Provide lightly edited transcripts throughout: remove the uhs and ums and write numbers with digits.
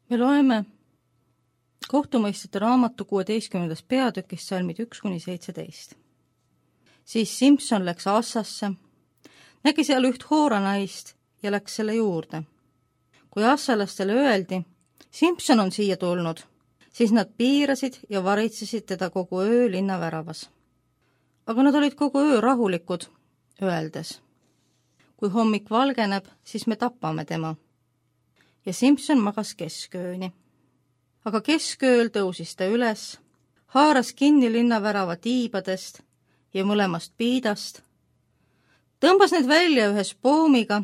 Me loeme kohtumõistjate raamatu 16. peatükist salmid 1-17. Siis Simson läks Assasse, nägi seal üht hooranaist ja läks selle juurde. Kui assalastele öeldi, Simson on siia tulnud, siis nad piirasid ja varitsesid teda kogu öö linna väravas. Aga nad olid kogu öö rahulikud, öeldes: kui hommik valgeneb, siis me tapame tema. Ja Simson magas keskööni. Aga keskööl tõusis ta üles, haaras kinni linnavärava tiibadest ja mõlemast piidast, tõmbas need välja ühes poomiga,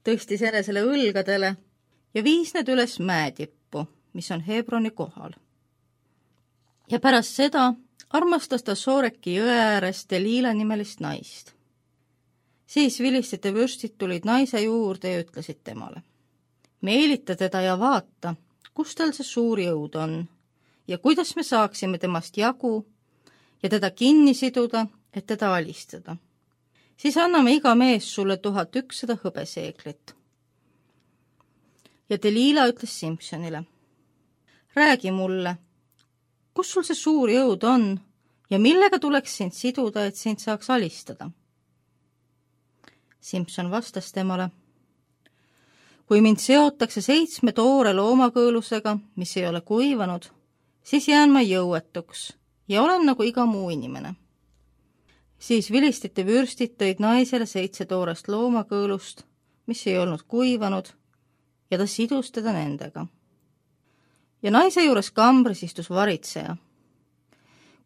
tõstis enesele õlgadele ja viis need üles mäetippu, mis on Hebroni kohal. Ja pärast seda armastas ta Sooreki jõe ääres Deliila nimelist naist. Siis vilistite vürstid tulid naise juurde ja ütlesid temale: meelita teda ja vaata, kus tal see suur jõud on ja kuidas me saaksime temast jagu ja teda kinni siduda, et teda alistada. Siis anname iga mees sulle 1100 hõbeseeklit. Ja Deliila ütles Simsonile: räägi mulle, kus sul see suur jõud on ja millega tuleks sind siduda, et sind saaks alistada? Simson vastas temale: kui mind seotakse 7 toore loomakõõlusega, mis ei ole kuivanud, siis jään ma jõuetuks ja olen nagu iga muu inimene. Siis vilistite vürstid tõid naisele 7 toorest loomakõõlust, mis ei olnud kuivanud, ja ta sidus teda nendega. Ja naise juures kambris istus varitseja.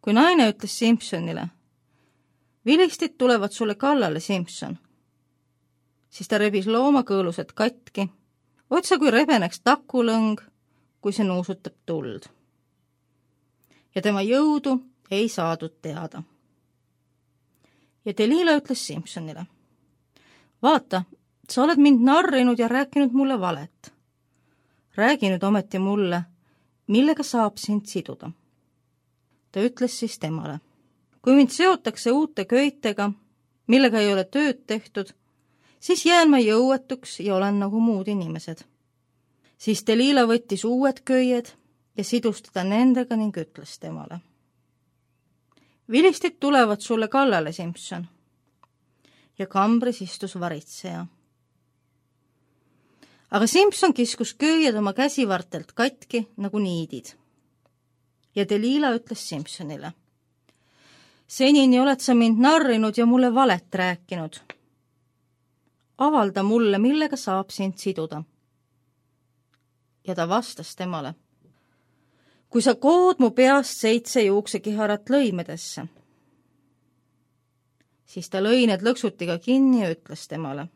Kui naine ütles Simsonile: vilistid tulevad sulle kallale, Simson, siis ta rebis loomakõõlused katki, otsa kui rebeneks takulõng, kui see nuusutab tuld. Ja tema jõudu ei saadud teada. Ja Deliila ütles Simsonile: vaata, sa oled mind narrinud ja rääkinud mulle valet. Räägi nüüd ometi mulle, millega saab sind siduda. Ta ütles siis temale: kui mind seotakse uute köitega, millega ei ole tööd tehtud, siis jään ma jõuetuks ja olen nagu muud inimesed. Siis Deliila võttis uued köied ja sidus teda nendega ning ütles temale: vilistid tulevad sulle kallale, Simson. Ja kambris istus varitseja. Aga Simson kiskus köied oma käsivartelt katki nagu niidid. Ja Deliila ütles Simsonile: senini oled sa mind narrinud ja mulle valet rääkinud. Avalda mulle, millega saab sind siduda. Ja ta vastas temale: kui sa kood mu peast 7 juuksekiharat lõimedesse. Siis ta lõi need lõksutiga kinni ja ütles temale: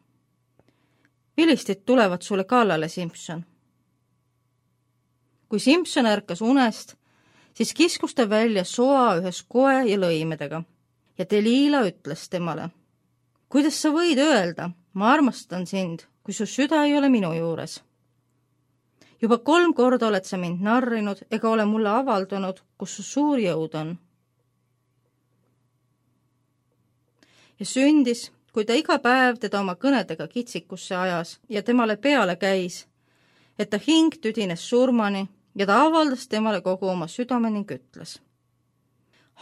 vilistid tulevad sulle kallale, Simson. Kui Simson ärkas unest, siis kiskus ta välja soa ühes koe ja lõimedega. Ja Deliila ütles temale: kuidas sa võid öelda, ma armastan sind, kui su süda ei ole minu juures? Juba 3 korda oled sa mind narrinud ega ole mulle avaldanud, kus su suur jõud on. Ja sündis, kui ta iga päev teda oma kõnedega kitsikusse ajas ja temale peale käis, et ta hing tüdines surmani ja ta avaldas temale kogu oma südame ning ütles: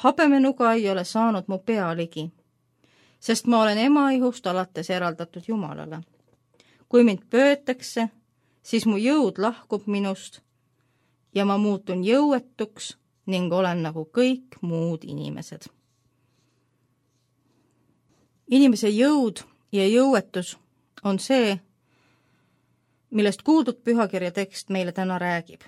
habemenuga ei ole saanud mu pea ligi, sest ma olen ema ihust alates eraldatud Jumalale. Kui mind pöötakse, siis mu jõud lahkub minust ja ma muutun jõuetuks ning olen nagu kõik muud inimesed. Inimese jõud ja jõuetus on see, millest kuuldud pühakirja tekst meile täna räägib.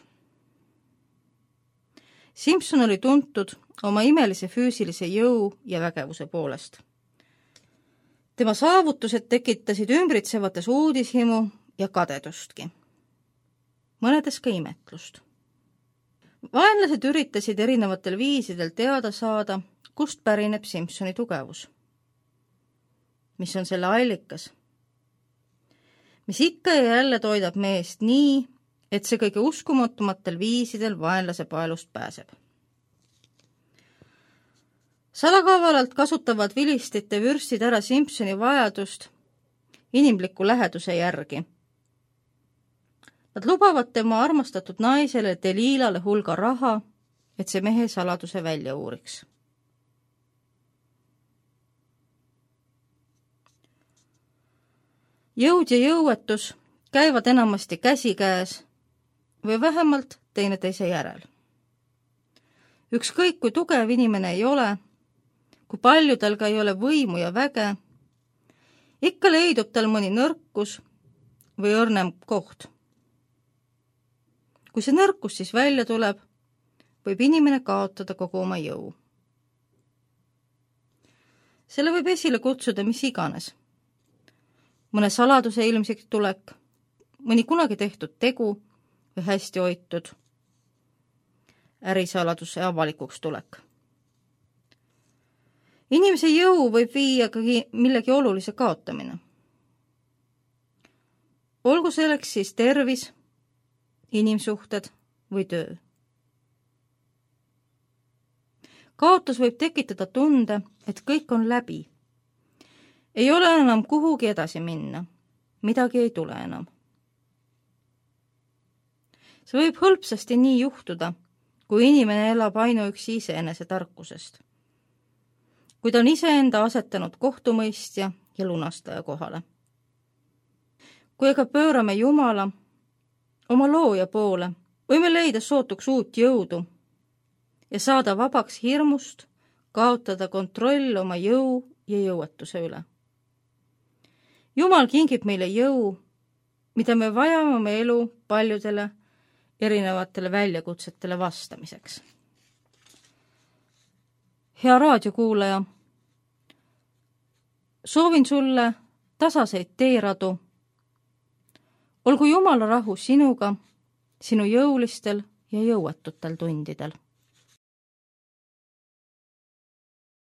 Simson oli tuntud oma imelise füüsilise jõu ja vägevuse poolest. Tema saavutused tekitasid ümbritsevates uudishimu ja kadedustki. Mõnedes ka imetlust. Vaenlased üritasid erinevatel viisidel teada saada, kust pärineb Simsoni tugevus. Mis on selle allikas? Mis ikka ja jälle toidab meest nii, et see kõige uskumatumatel viisidel vaenlase paelust pääseb. Salakavalalt kasutavad vilistite vürstid ära Simsoni vajadust inimliku läheduse järgi. Nad lubavad tema armastatud naisele Delilale hulga raha, et see mehe saladuse välja uuriks. Jõud ja jõuetus käivad enamasti käsikäes või vähemalt teineteise järel. Ükskõik, kui tugev inimene ei ole, kui palju tal ka ei ole võimu ja väge, ikka leidub tal mõni nõrkus või õrnem koht. Kui see nõrkus siis välja tuleb, võib inimene kaotada kogu oma jõu. Selle võib esile kutsuda mis iganes. Mõne saladuse ilmsiks tulek, mõni kunagi tehtud tegu või hästi hoitud ärisaladuse avalikuks tulek. Inimese jõu võib viia ka millegi olulise kaotamine. Olgu selleks siis tervis, inimsuhted või töö. Kaotus võib tekitada tunde, et kõik on läbi. Ei ole enam kuhugi edasi minna. Midagi ei tule enam. See võib hõlpsasti nii juhtuda, kui inimene elab ainuüksi iseenese tarkusest. Kui ta on iseenda asetanud kohtumõistja ja lunastaja kohale. Kui aga pöörame Jumala oma looja poole, võime leida sootuks uut jõudu ja saada vabaks hirmust, kaotada kontroll oma jõu ja jõuetuse üle. Jumal kingib meile jõu, mida me vajame oma elu paljudele erinevatele väljakutsetele vastamiseks. Hea raadiokuulaja, soovin sulle tasaseid teeradu. Olgu Jumala rahu sinuga, sinu jõulistel ja jõuetutel tundidel.